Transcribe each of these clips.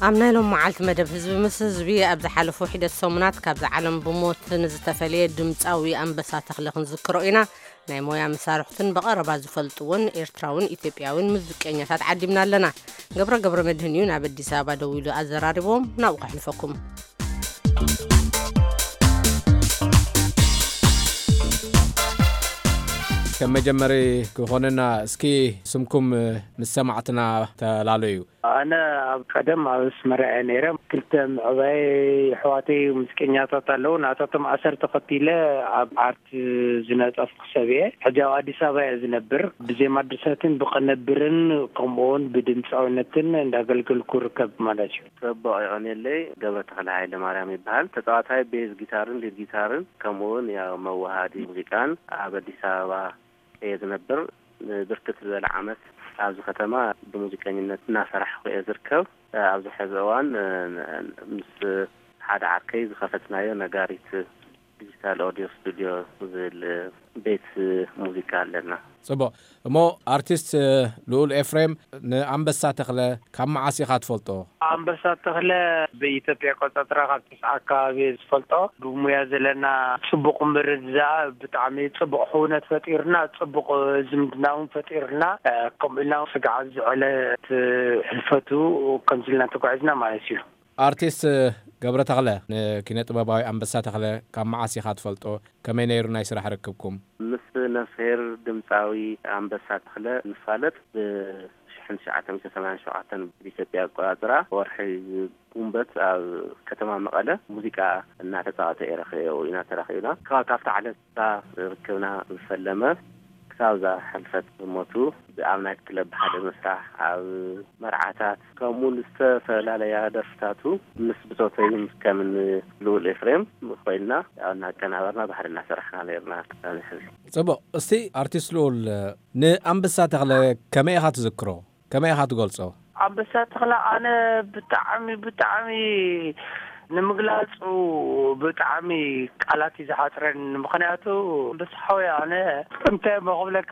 ኣብ ናይ ሎም መዓልቲ መደብ ህዝቢ ምስ ህዝቢ፣ ኣብ ዝሓለፉ ሒደት ሰሙናት ካብዛ ዓለም ብሞት ንዝተፈለየ ድምፃዊ ኣንበሳ ተኽለ ክንዝክሮ ኢና። ናይ ሞያ መሳርሕቱን ብቐረባ ዝፈልጥዎን ኤርትራውን ኢትዮጵያውን ሙዚቀኛታት ዓዲምና ኣለና። ገብረ ገብረ መድህን እዩ ናብ ኣዲስ ኣበባ ደዊሉ ኣዘራሪቦም፣ ናብኡ ከሕልፈኩም። ከም መጀመሪ ክኾነና፣ እስኪ ስምኩም ምስ ሰማዕትና ተላለዩ። ኣነ ኣብ ቀደም ኣብ ኣስመራ እየ ነይረ። ክልተ ምዕባይ ኣሕዋተይ ሙዚቀኛታት ኣለዉ። ናታቶም ኣሰር ተኸቲለ ኣብ ኣርት ዝነጠፍኩ ሰብ እየ። ሕጂ ኣብ ኣዲስ ኣበባ እየ ዝነብር። ብዜማ ድርሰትን ብቕንብርን ከምኡውን ብድምፃዊነትን እንዳገልገልኩ ርከብ ማለት እዩ። ጽቡቕ፣ የቐንየለይ። ገብረ ተኽለ ሃይለ ማርያም ይበሃል። ተጻዋታይ ቤዝ ጊታርን ሊድ ጊታርን ከምኡውን ያው መወሃዲ ሙዚቃን ኣብ ኣዲስ ኣበባ እየ ዝነብር። ብርክት ዝበለ ዓመት ኣብዚ ከተማ ብሙዚቀኝነት እናሰራሕኩ እየ ዝርከብ። ኣብዚ ሕዚ እዋን ምስ ሓደ ዓርከይ ዝኸፈትናዮ ነጋሪት ዲጂታል ኦዲዮ ስቱዲዮ ዝብል ቤት ሙዚቃ ኣለና። ጽቡቕ። እሞ ኣርቲስት ልኡል ኤፍሬም፣ ንኣንበሳ ተኽለ ካብ መዓስ ኢኻ ትፈልጦ? ኣንበሳ ተኽለ ብኢትዮጵያ ቆጸራ ካብ ተስዓ ኣካባቢ እየ ዝፈልጦ። ብሙያ ዘለና ጽቡቕ ምርድዳእ፣ ብጣዕሚ ጽቡቕ ሕውነት ፈጢርና፣ ጽቡቕ ዝምድና እውን ፈጢርና፣ እ፣ ከምኡ ኢልና ስጋዕ ዝዕለት ሕልፈቱ ከምዚ ኢልና ተጓዒዝና ማለት እዩ። ኣርቲስት ገብረ ተኽለ፣ ንኪነ ጥበባዊ ኣንበሳ ተኽለ ካብ መዓስ ኢኻ ትፈልጦ? ከመይ ነይሩ ናይ ስራሕ ርክብኩም? ምስ ነፍስሄር ድምፃዊ ኣንበሳ ተኽለ ንፋለጥ ብ ሽሕን ትሽዓተ ሚእትን ሰማንያን ሸውዓተን ብኢትዮጵያ ኣቆጻጽራ ወርሒ ጉንበት ኣብ ከተማ መቐለ ሙዚቃ እናተጻወተ እየ ረኺበዮ፣ ኢና ተራኺብና። ካብ፣ ካብታ ዕለት እታ ርክብና ዝፈለመ ክሳብ እዛ ሕልፈት ሞቱ ኣብ ናይት ክለብ ብሓደ ምስራሕ፣ ኣብ መርዓታት፣ ከምኡ ዝተፈላለያ ደርፍታቱ ምስ ብጾተይን ከም ልኡል ኤፍሬም ኮይንና፣ ያው እናቀናበርና ብሓደ እናሰራሕና ነይርና ክሳብ ሕዚ። ጽቡቕ። እስቲ ኣርቲስት ልኡል፣ ንኣንበሳ ተኽለ ከመይ ኢኻ ትዝክሮ? ከመይ ኢኻ ትገልጾ? ኣንበሳ ተኽለ ኣነ ብጣዕሚ፣ ብጣዕሚ ንምግላጹ ብጣዕሚ ቃላት እዩ ዝሓጽረኒ። ምኽንያቱ ኣንበሳ ሓወይ ኣነ እንታይ እሞ ክብለካ፣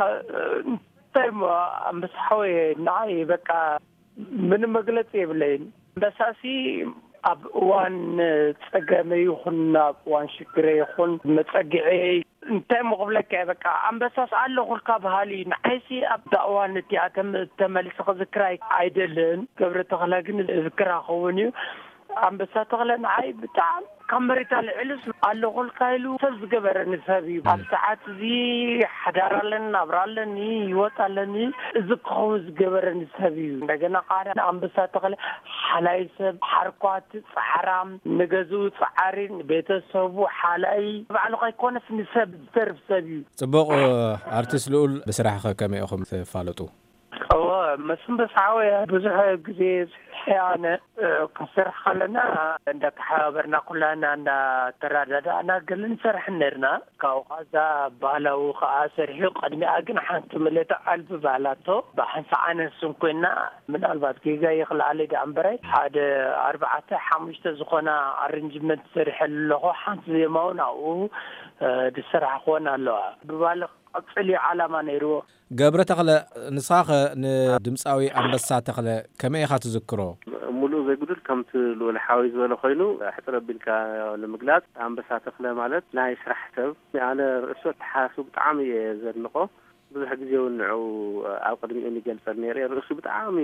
እንታይ እሞ ኣንበሳ ሓወይ ንዓይ በቃ ምንም መግለጺ የብለይን። ኣንበሳሲ ኣብ እዋን ጸገመ ይኹን ኣብ እዋን ሽግረ ይኹን መጸግዒ እንታይ እሞ ክብለካ እየ፣ በቃ ኣንበሳስ ኣለኹልካ በሃሊ እዩ። ንዓይሲ ኣብዛ እዋን እቲኣ ተም-፣ ተመሊሰ ክዝክራ ኣይ-፣ ኣይደልን። ገብረ ተኽለ ግን እዝክራ ክኸውን እዩ። ኣንበሳ ተኽለ ንዓይ ብጣዕሚ ካብ መሬት ኣልዒሉስ ኣለኹልካ ኢሉ ሰብ ዝገበረኒ ሰብ እዩ። ኣብ ሰዓት እዚ ሓዳር ኣለኒ፣ ናብራ ኣለኒ፣ ህይወት ኣለኒ፣ እዚ ክኸውን ዝገበረኒ ሰብ እዩ። እንደገና ከዓ ኣንበሳ ተኽለ ሓላይ ሰብ፣ ሓርኳት፣ ጻዕራም፣ ንገዝኡ ጻዓሪ፣ ንቤተሰቡ ሓላይ፣ ባዕሉ ከይኮነስ ንሰብ ዝተርፍ ሰብ እዩ። ጽቡቕ። ኣርቲስት ልኡል፣ ብስራሕኸ ከመይ ኢኹም ትፋለጡ? እወ፣ መስፍን በስሓወ ብዙሕ ግዜ ስርሐ ኣነ፣ እ፣ ክንሰርሕ ከለና እንዳተሓባበርና ኩላና እንዳተረዳዳእና ገለ ንሰርሕ ነርና። ካብኡ ከኣ እዛ ባህላዊ ከኣ ሰሪሑ፣ ቅድሚኣ ግን ሓንቲ ምልእቲ ዓልቢ ባህላቶ ብሓንሳእ ኣነስን ኮይና፣ ምናልባት ጌጋ ይኽልኣለይ ደኣ እምበረይ፣ ሓደ ኣርባዕተ ሓሙሽተ ዝኾና ኣረንጅመንት ሰሪሐ ኣለኹ። ሓንቲ ዜማ እውን ኣብኡ፣ እ፣ ዝሰራሕኽወን ኣለዋ። ብባሊ ክቕጽል እዩ ዓላማ ነይርዎ። ገብረ ተኽለ፣ ንስኻኸ ንድምፃዊ ኣንበሳ ተኽለ ከመይ ኢኻ ትዝክሮ? ሙሉእ ዘይጉድል ከምቲ ልኡል ሓወይ ዝበሎ ኮይኑ፣ ሕጽር ኣቢልካ ንምግላጽ ኣንበሳ ተኽለ ማለት ናይ ስራሕ ሰብ፣ ኣነ ርእሱ ኣተሓሳስቡ ብጣዕሚ እየ ዘድንቖ። ብዙሕ ግዜ እውን ንዑ ኣብ ቅድሚኡ ይገልጸል ነይረ። ርእሱ ብጣዕሚ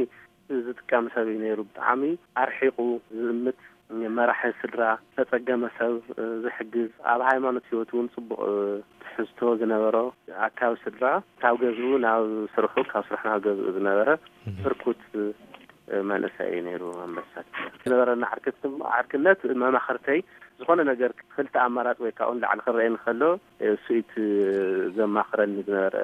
ዝጥቀም ሰብ እዩ ነይሩ። ብጣዕሚ ኣርሒቑ ዝእምት፣ መራሒ ስድራ፣ ዝተጸገመ ሰብ ዝሕግዝ፣ ኣብ ሃይማኖት ህይወት እውን ጽቡቕ ትሕዝቶ ዝነበሮ፣ ኣካቢ ስድራ ካብ ገዝኡ ናብ ስርሑ፣ ካብ ስርሑ ናብ ገዝኡ ዝነበረ ህርኩት መንእሰይ እዩ ነይሩ ኣንበሳ። ዝነበረና ዓርክት ድማ፣ ዓርክነት መማኽርተይ፣ ዝኾነ ነገር ክልተ ኣማራጺ ወይ ካብኡ ንላዕሊ ክረኣየኒ ከሎ፣ እሱ እዩ እቲ ዘማኽረኒ ዝነበረ፣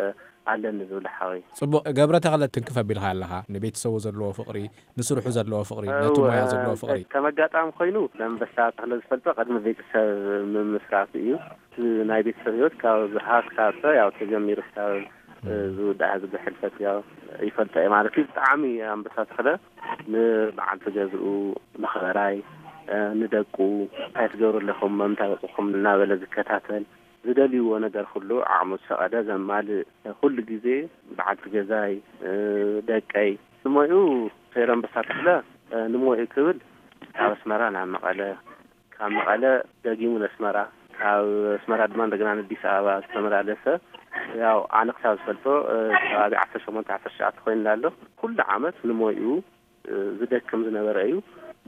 ኣለኒ ዝብል ሓወይ። ጽቡቕ። ገብረ ተኽለ፣ ትንክፍ ኣቢልካ ኣለኻ። ንቤተሰቡ ዘለዎ ፍቕሪ፣ ንስርሑ ዘለዎ ፍቕሪ፣ ነቲ እወ፣ ሞያ ዘለዎ ፍቕሪ። ከም ኣጋጣሚ ኮይኑ፣ ኣንበሳ ተኽለ ዝፈልጦ ቅድሚ ቤተሰብ ምምስራቱ እዩ። እቲ ናይ ቤተሰብ ህይወት ካብ ዝሃ ክሳብ ያው ተጀሚሩ ክሳብ፣ እ፣ ዝውዳእ ዝብል ሕልፈት ያው ይፈልጦ እየ ማለት እዩ። ብጣዕሚ ኣንበሳ ተኽለ ንበዓልቲ ገዝኡ፣ መኽበራይ፣ እ፣ ንደቁ፣ እንታይ ትገብሩ ኣለኹም፣ መምታ በጽኹም እናበለ ዝከታተል፣ ዝደልይዎ ነገር ኩሉ ዓቕሙ ዝፈቐደ ዘማልእ፣ ኩሉ ግዜ በዓልቲ ገዛይ፣ እ፣ ደቀይ፣ ንሞይኡ ሰይረ ኣንበሳ ተኽለ፣ እ፣ ንሞይኡ ክብል ካብ ኣስመራ ናብ መቐለ፣ ካብ መቐለ ደጊሙ ንኣስመራ፣ ካብ ኣስመራ ድማ እንደገና ንኣዲስ ኣበባ ዝተመላለሰ፣ ያው ኣነ ክሳብ ዝፈልጦ፣ እ፣ ከባቢ ዓሰርተ ሸሞንተ ዓሰርተ ትሽዓተ ኮይኑ ኣሎ። ኩሉ ዓመት ንሞይኡ፣ እ፣ ዝደክም ዝነበረ እዩ።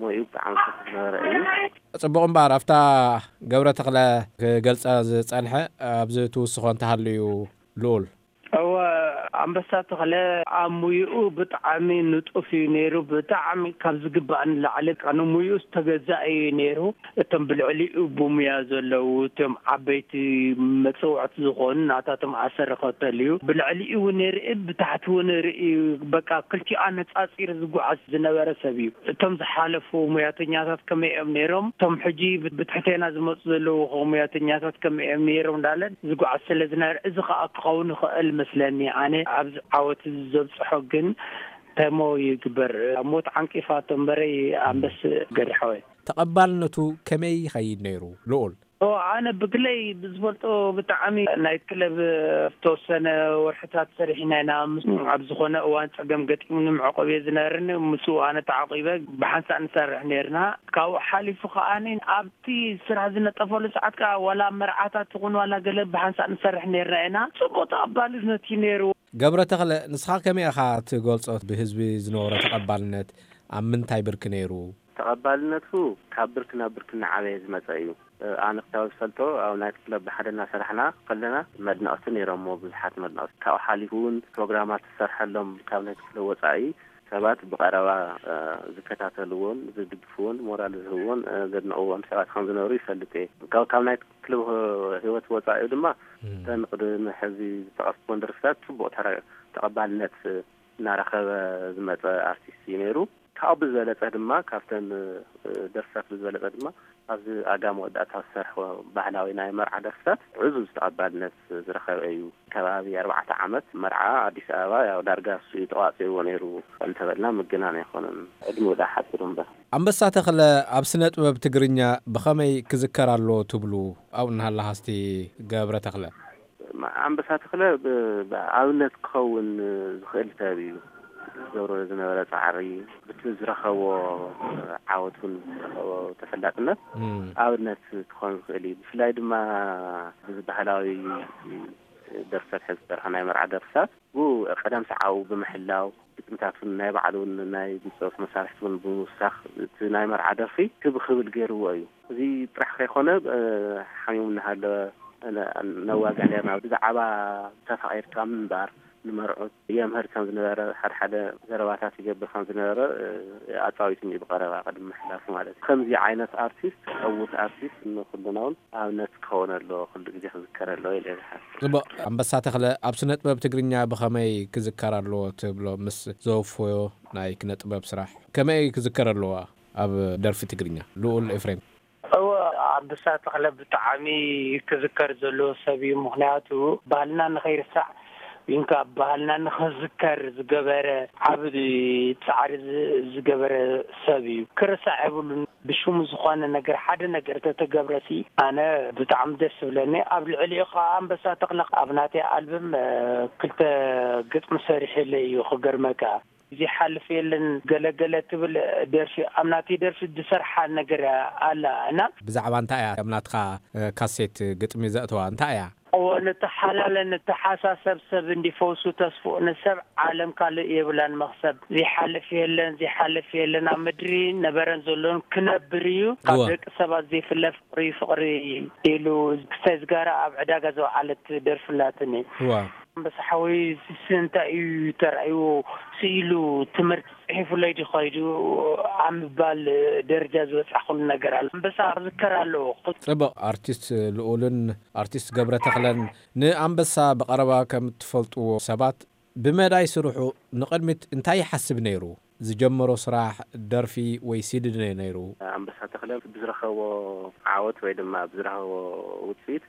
ሞይኡ ብጣዕሚ ዝደክም ዝነበረ እዩ። ጽቡቕ እምበኣር፣ ኣብታ ገብረ ተኽለ ክገልጻ ዝጸንሐ ኣብዚ ትውስኾ እንተሃልዩ ልኡል። እወ፣ ኣንበሳ ተኽለ ኣብ ሙይኡ ብጣዕሚ ንጡፍ እዩ ነይሩ። ብጣዕሚ ካብ ዝግባእ ንላዕሊ ንሙይኡ ዝተገዛእ እዩ ነይሩ። እቶም ብልዕሊኡ ብሙያ ዘለዉ፣ እቶም ዓበይቲ መጽውዕቲ ዝኾኑ ናታቶም ኣሰር ይኸተል እዩ። ብልዕሊኡ እውን ይርኢ፣ ብታሕቲ እውን ይርኢ። በቃ ክልቲኡ ኣነጻጺሩ ዝጓዓዝ ዝነበረ ሰብ እዩ። እቶም ዝሓለፉ ሙያተኛታት ከመይ እዮም ነይሮም? እቶም ሕጂ ብ-፣ ብትሕቴና ዝመጹ ዘለዉ ኸ ሙያተኛታት ከመይ እዮም ነይሮም? እንዳለ ዝጓዓዝ ስለ ዝነበረ፣ እዚ ኸኣ ክኸውን ይኽእል መስለኒ። ኣነ ኣብዚ ዓወት እዚ ዘብጽሖ ግን ተሞ ይግበር። ሞት ዓንቂፋቶ እምበረይ ኣንበስ ገድሓወይ። ተቐባልነቱ ከመይ ይኸይድ ነይሩ? ልኡል። ኦ፣ ኣነ ብግለይ ብዝፈልጦ ብጣዕሚ ናይት ክለብ ዝተወሰነ ወርሕታት ሰሪሕና ኢና። ምስ-፣ ኣብ ዝኾነ እዋን ጸገም ገጢሙኒ መዕቆብ እየ ዝነበረኒ። ምስኡ ኣነ ተዓቂበ ብሓንሳእ ንሰርሕ ነይርና። ካብኡ ሓሊፉ ከኣኒ ኣብቲ ስራሕ ዝነጠፈሉ ሰዓት ከኣ ዋላ ኣብ መርዓታት ይኹን ዋላ ገለ ብሓንሳእ ንሰርሕ ነይርና ኢና። ጽቡቕ ተቐባልነት እዩ ነይሩ። ገብረ ተኽለ፣ ንስኻ ከመይ ኢኻ ትገልጾ? ብህዝቢ ዝነበሮ ተቐባልነት ኣብ ምንታይ ብርኪ ነይሩ? ተቐባልነቱ ካብ ብርኪ ናብ ብርኪ እናዓበየ ዝመጸ እዩ። ኣነ ክሳብ ዝፈልጦ ኣብ ናይት ክለብ ብሓደ እናሰራሕና ከለና መድነቕቲ ነይሮሞ፣ ብዙሓት መድነቕቲ። ካብኡ ሓሊፉ እውን ፕሮግራማት ዝሰርሐሎም ካብ ናይት ክለብ ወጻኢ ሰባት ብቐረባ፣ እ፣ ዝከታተልዎን ዝድግፍዎን ሞራል ዝህብዎን፣ እ፣ ዘድንቕዎን ሰባት ከም ዝነበሩ ይፈልጥ እየ። ካብ፣ ካብ ናይት ክለብ ህይወት ወጻኢ ድማ እም። እተን ቅድሚ ሕዚ ዝጠቐስኩወን ደርፍታት ጽቡቕ ተረ-፣ ተቐባልነት እናረኸበ ዝመጸ ኣርቲስት እዩ ነይሩ። ካብኡ ብዝበለጸ ድማ ካብተን፣ እ፣ ደርፍታት ብዝበለጸ ድማ ኣብዚ ኣጋ መወዳእታ ዝሰርሖ ባህላዊ ናይ መርዓ ደርፍታት ዕዙዝ ተቐባልነት ዝረኸበ እዩ። ከባቢ ኣርባዕተ ዓመት መርዓ ኣዲስ ኣበባ ያው ዳርጋ እሱ እዩ ተቋጺርዎ ነይሩ እንተበልና ምግናን ኣይኮነን። ዕድሚኡ ደኣ ሓጺሩ እምበር። ኣንበሳ ተኽለ ኣብ ስነ ጥበብ ትግርኛ ብኸመይ ክዝከር ኣለዎ ትብሉ? ኣብኡ እናሃለኻ እስቲ ገብረ ተኽለ። ማ-፣ ኣንበሳ ተኽለ ብ-፣ ብኣብነት ክኸውን ዝኽእል ሰብ እዩ። ዝገብሮ ዝነበረ ጻዕሪ፣ ብቲ ዝረኸቦ ዓወት እውን ዝረኸቦ ተፈላጥነት እም። ኣብነት ክኸውን ዝኽእል እዩ። ብፍላይ ድማ እዚ ባህላዊ ደርፍታት ሕዚ ዝሰርሖ ናይ መርዓ ደርፍታት፣ ብኡ ቀደም ሰዓቡ ብምሕላው፣ ግጥምታት እውን ናይ ባዕሉ እውን ናይ ድምፂ መሳርሕቲ እውን ብምውሳኽ፣ እቲ ናይ መርዓ ደርፊ ክብ ክብል ገይርዎ እዩ። እዚ ጥራሕ ከይኮነ፣ እ፣ ሓሚሙ እናሃለወ፣ እ፣ ነዋግዕ ነርና። ብዛዕባ ተፋቒርካ ምንባር ንመርዑት የምህር ከም ዝነበረ፣ ሓደ ሓደ ዘረባታት ይገብር ከም ዝነበረ፣ እ፣ ኣጻዊቱኒ ብቐረባ ቅድሚ ምሕላፉ ማለት እዩ። ከምዚ ዓይነት ኣርቲስት፣ ዕዉት ኣርቲስት ንኹልና እውን ኣብነት ክኸውን ኣለዎ፣ ኩሉ ግዜ ክዝከር ኣለዎ ኢለ እየ ዝሓስብ። ጽቡቕ። ኣንበሳ ተኽለ ኣብ ስነ ጥበብ ትግርኛ ብኸመይ ክዝከር ኣለዎ ትብሎ? ምስ ዘወፈዮ ናይ ክነ ጥበብ ስራሕ ከመይ ክዝከር ኣለዎ ኣብ ደርፊ ትግርኛ? ልኡል ኤፍሬም። እወ፣ ኣንበሳ ተኽለ ብጣዕሚ ክዝከር ዘለዎ ሰብ እዩ። ምኽንያቱ ባህልና ንኸይርሳዕ፣ ወይንካ ባህልና ንኽዝከር ዝገበረ ዓቢ ጻዕሪ ዝ-፣ ዝገበረ ሰብ እዩ። ክርሳዕ የብሉን። ብሽሙ ዝኾነ ነገር፣ ሓደ ነገር ተተገብረሲ፣ ኣነ ብጣዕሚ ደስ ዝብለኒ። ኣብ ልዕሊኡ ኸዓ ኣንበሳ ተኽለ ኣብ ናተይ ኣልበም፣ እ፣ ክልተ ግጥሚ ሰሪሕለይ እዩ፣ ክገርመካ። ዘይሓልፍ የለን ገለገለ ትብል ደርፊ፣ ኣብ ናተይ ደርፊ ዝሰርሓ ነገር ኣላ እና። ብዛዕባ እንታይ እያ ኣብ ናትኻ፣ እ፣ ካሴት ግጥሚ ዘእተዋ? እንታይ እያ? እዎ፣ ንተሓላለ፣ ንተሓሳሰብ፣ ሰብ እንዲፈውሱ ተስፍኡ፣ ንሰብ ዓለም ካልእ የብላን መኽሰብ። ዘይሓልፍ የለን፣ ዘይሓልፍ የለን፣ ኣብ ምድሪ ነበረን ዘሎን ክነብር እዩ። ካብ እወ። ደቂ ሰባት ዘይፍለ ፍቕሪ፣ ፍቕሪ ኢሉ ክስታይ ዝጋራ ኣብ ዕዳጋ ዝወዓለት ደርፊ ኣላትኒ። እወ። ኣንበሳ ሓወይ፣ እዚ እንታይ እዩ ተራእይዎ? ስኢሉ ትምህርቲ ጽሒፉለይ ድዩ ኸይዱ ኣብ ምባል ደረጃ ዝበጻሕኩሉ ነገር ኣሎ። ኣንበሳ ክዝከር ኣለዎ። ጽቡቕ። ኣርቲስት ልኡልን ኣርቲስት ገብረ ተኽለን ንኣንበሳ ብቐረባ ከም እትፈልጥዎ ሰባት፣ ብመዳይ ስርሑ ንቕድሚት እንታይ ይሓስብ ነይሩ? ዝጀመሮ ስራሕ፣ ደርፊ ወይ ሲዲ ድዩ ነይሩ? ኣንበሳ ተኽለ ብዝረኸቦ ዓወት ወይ ድማ ብዝረኸቦ ውጽኢት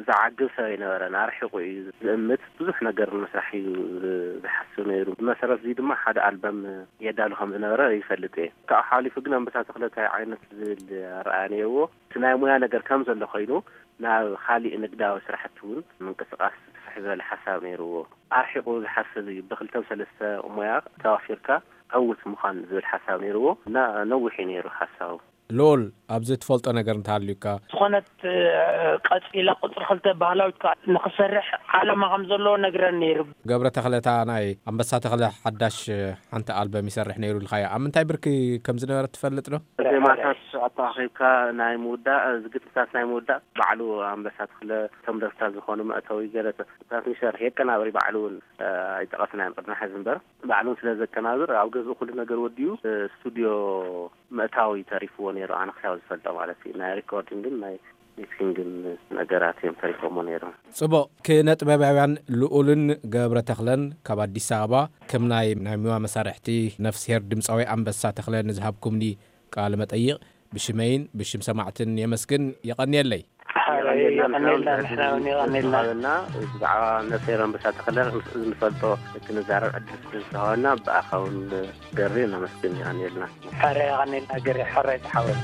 ዝዓግብ ሰብ ኣይነበረን። ኣርሒቑ እዩ ዝእምት። ብዙሕ ነገር ንምስራሕ እዩ ዝ-፣ ዝሓስብ ነይሩ። ብመሰረት እዚ ድማ ሓደ ኣልበም የዳሉ ከም ዝነበረ ይፈልጥ እየ። ካብኡ ሓሊፉ ግን ኣንበሳ ተኽለ እንታይ ዓይነት ዝብል ኣረኣእያ ነይርዎ? እቲ ናይ ሙያ ነገር ከም ዘሎ ኮይኑ ናብ ካሊእ ንግዳዊ ስራሕቲ እውን ምንቅስቓስ ስፍሕ ዝበለ ሓሳብ ነይርዎ። ኣርሒቑ ዝሓስብ እዩ። ብክልተ ብሰለስተ ሙያ ተዋፊርካ ዕውት ምዃን ዝብል ሓሳብ ነይርዎ እና ነዊሕ እዩ ነይሩ ሓሳቡ። ልኡል፣ ኣብዚ ትፈልጦ ነገር እንተሃልዩካ? ዝኾነት ቀፂላ ቁፅሪ ክልተ ባህላዊት ከዓ ንክሰርሕ ዓላማ ከም ዘለዎ ነግረን ነይሩ። ገብረ ተኽለታ ናይ ኣንበሳ ተኽለ ሓዳሽ ሓንቲ ኣልበም ይሰርሕ ነይሩ ኢልካዮ፣ ኣብ ምንታይ ብርኪ ከም ዝነበረ ትፈልጥ ዶ? ዜማታት ኣተኣኺብካ ናይ ምውዳእ፣ ዝግጥምታት ናይ ምውዳእ ባዕሉ ኣንበሳ ተኽለ፣ እቶም ደርፍታት ዝኾኑ መእተዊ ገለ ታት ይሰርሕ፣ የቀናብር ባዕሉ እውን ኣይጠቐስናዮን ቅድሚ ሕዚ እምበር፣ ባዕሉን ስለ ዘቀናብር ኣብ ገዝኡ ኩሉ ነገር ወዲኡ ስቱድዮ ምእታዊ ተሪፍዎ ነይሩ። ኣነ ክሳብ ዝፈልጦ ማለት እዩ፣ ናይ ሪኮርዲንግን ናይ ሚክሲንግን ነገራት እዮም ተሪፎሞ ነይሮም። ጽቡቕ፣ ክነጥበባውያን ልኡልን ገብረ ተኽለን ካብ ኣዲስ ኣበባ ከም ናይ ናይ ሚዋ መሳርሕቲ ነፍስሄር ድምፃዊ ኣንበሳ ተኽለ ንዝሃብኩምኒ ቃለ መጠይቕ ብሽመይን ብሽም ሰማዕትን የመስግን። የቐንየለይ። ሓራይ የቐንየልና፣ ንሕና እውን የቐንየልና። እና ብዛዕባ ነፍስሄር ኣንበሳ ተኽለ ንፈልጦ ክንዛረብ ዕድል ስለ ዝተሃበና ብኣኻ እውን ገሪ ነመስግን። የቐንየልና። ሓራይ የቐንየልና ገሪ፣ ሓራይ ተሓወስ።